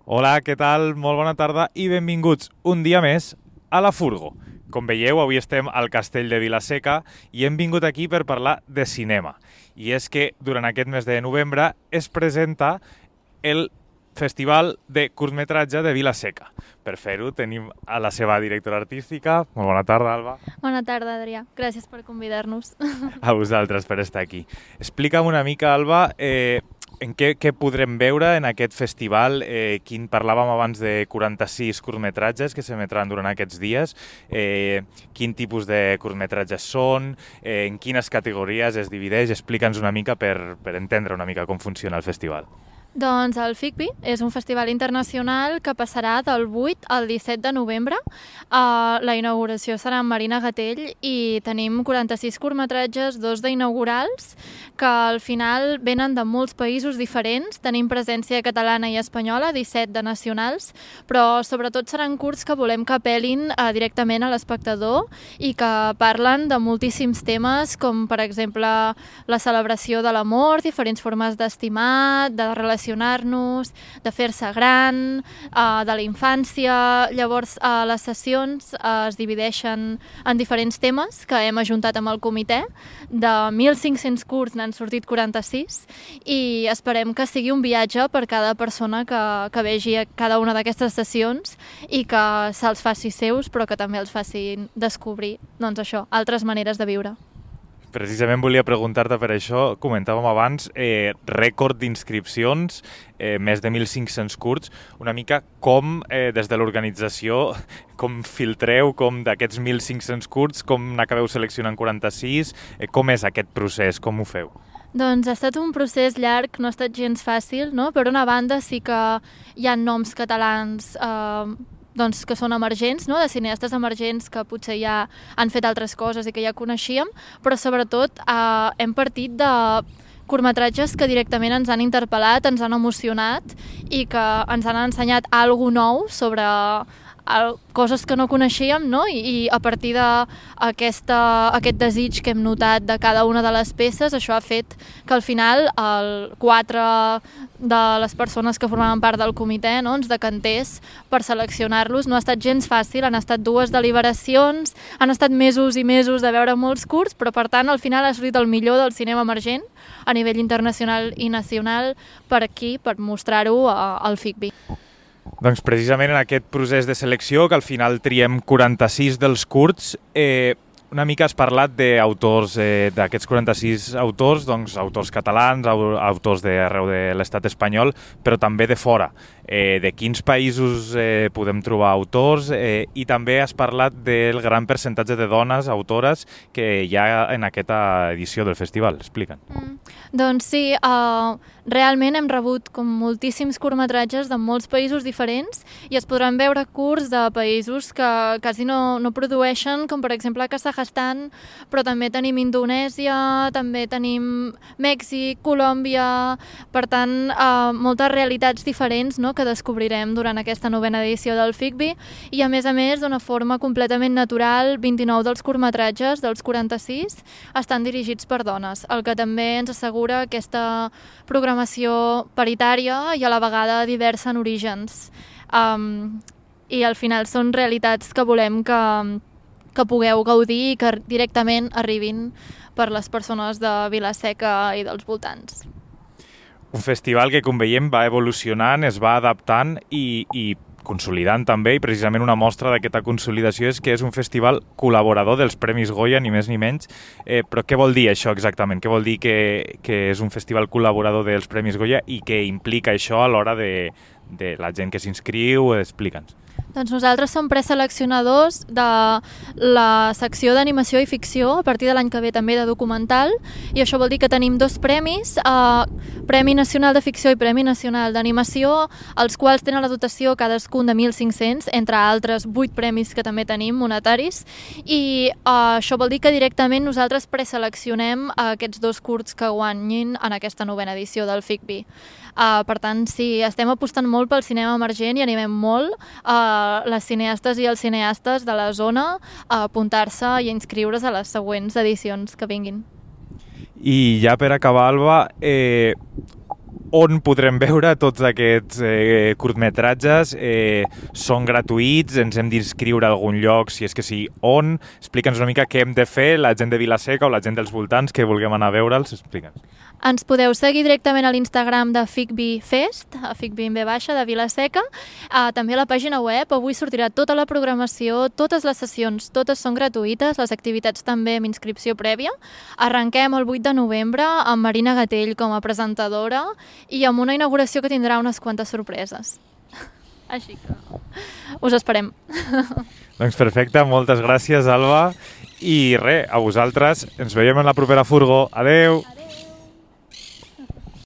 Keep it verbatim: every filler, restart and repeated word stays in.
Hola, què tal? Molt bona tarda i benvinguts un dia més a la Furgo. Com veieu, avui estem al castell de Vila-seca i hem vingut aquí per parlar de cinema. I és que durant aquest mes de novembre es presenta el Festival de curtmetratge de Vila-seca. Per fer-ho tenim a la seva directora artística. Molt bona tarda, Alba. Bona tarda, Adrià. Gràcies per convidar-nos. A vosaltres per estar aquí. Explica'm una mica, Alba, eh, en què, què podrem veure en aquest festival. Eh, quin, parlàvem abans de quaranta-sis curtmetratges que s'emetran durant aquests dies. Eh, quin tipus de curtmetratges són, eh, en quines categories es divideix. Explica'ns una mica per, per entendre una mica com funciona el festival. Doncs el FICBI és un festival internacional que passarà del vuit al disset de novembre. Uh, la inauguració serà en Marina Gatell i tenim quaranta-sis curtmetratges, dos d'inaugurals, que al final venen de molts països diferents. Tenim presència catalana i espanyola, disset de nacionals, però sobretot seran curts que volem que apel·lin uh, directament a l'espectador i que parlen de moltíssims temes, com per exemple la celebració de l'amor, diferents formes d'estimar, de relacionar nos de fer-se gran, uh, de la infància. Llavors, uh, les sessions uh, es divideixen en diferents temes que hem ajuntat amb el comitè. De mil cinc-cents curts n'han sortit quaranta-sis i esperem que sigui un viatge per cada persona que, que vegi cada una d'aquestes sessions i que se'ls faci seus, però que també els facin descobrir, doncs això, altres maneres de viure. Precisament volia preguntar-te per això, comentàvem abans, eh, rècord d'inscripcions, eh, més de mil cinc-cents curts, una mica com eh, des de l'organització, com filtreu, com d'aquests mil cinc-cents curts, com n'acabeu seleccionant quaranta-sis, eh, com és aquest procés, com ho feu? Doncs ha estat un procés llarg, no ha estat gens fàcil, no? Per una banda sí que hi ha noms catalans eh, doncs, que són emergents, no? De cineastes emergents que potser ja han fet altres coses i que ja coneixíem, però sobretot eh, hem partit de curtmetratges que directament ens han interpel·lat, ens han emocionat i que ens han ensenyat alguna cosa nou sobre el, coses que no coneixíem, no? I, i a partir d'aquest desig que hem notat de cada una de les peces, això ha fet que al final el quatre de les persones que formaven part del comitè, no, ens decantés per seleccionar-los. No ha estat gens fàcil, han estat dues deliberacions, han estat mesos i mesos de veure molts curts, però per tant al final ha sortit el millor del cinema emergent a nivell internacional i nacional per aquí, per mostrar-ho al FICBI. Doncs precisament en aquest procés de selecció, que al final triem quaranta-sis dels curts, eh, una mica has parlat d'autors, eh, d'aquests quaranta-sis autors, doncs autors catalans, autors d'arreu de l'estat espanyol, però també de fora. Eh, de quins països eh, podem trobar autors eh, i també has parlat del gran percentatge de dones autores que hi ha en aquesta edició del festival. Explica'n. Mm, doncs sí, uh, realment hem rebut com moltíssims curtmetratges de molts països diferents i es podran veure curts de països que quasi no, no produeixen, com per exemple Kazakhstan, però també tenim Indonèsia, també tenim Mèxic, Colòmbia, per tant, uh, moltes realitats diferents, no?, que descobrirem durant aquesta novena edició del FICBI i a més a més d'una forma completament natural. Vint-i-nou dels curtmetratges, dels quaranta-sis, estan dirigits per dones, el que també ens assegura aquesta programació paritària i a la vegada diversa en orígens. Um, i al final són realitats que volem que, que pugueu gaudir i que directament arribin per les persones de Vila-seca i dels voltants. Un festival que, com veiem, va evolucionant, es va adaptant i, i consolidant també, i precisament una mostra d'aquesta consolidació és que és un festival col·laborador dels Premis Goya, ni més ni menys. Eh, però què vol dir això exactament? Què vol dir que, que és un festival col·laborador dels Premis Goya i què implica això a l'hora de, de la gent que s'inscriu? Explica'ns. Doncs nosaltres som preseleccionadors de la secció d'animació i ficció, a partir de l'any que ve també de documental, i això vol dir que tenim dos premis, eh, Premi Nacional de Ficció i Premi Nacional d'Animació, els quals tenen la dotació cadascun de mil cinc-cents, entre altres vuit premis que també tenim monetaris, i eh, això vol dir que directament nosaltres preseleccionem aquests dos curts que guanyin en aquesta novena edició del FICBI. Uh, per tant, sí, estem apostant molt pel cinema emergent i animem molt uh, les cineastes i els cineastes de la zona a apuntar-se i a inscriure's a les següents edicions que vinguin. I ja per acabar, Alba, eh, on podrem veure tots aquests eh, curtmetratges. Eh, són gratuïts, ens hem d'inscriure a algun lloc, si és que sí, on? Explica'ns una mica què hem de fer, la gent de Vila-seca o la gent dels voltants que vulguem anar a veure'ls, explica'ns. Ens podeu seguir directament a l'Instagram de Ficbi Fest, a Ficbi en B baixa, de Vila-seca, uh, també a la pàgina web. Avui sortirà tota la programació, totes les sessions, totes són gratuïtes, les activitats també amb inscripció prèvia. Arrenquem el vuit de novembre amb Marina Gatell com a presentadora i amb una inauguració que tindrà unes quantes sorpreses. Així que us esperem. Doncs perfecte, moltes gràcies, Alba. I res, a vosaltres, ens veiem en la propera furgo. Adeu!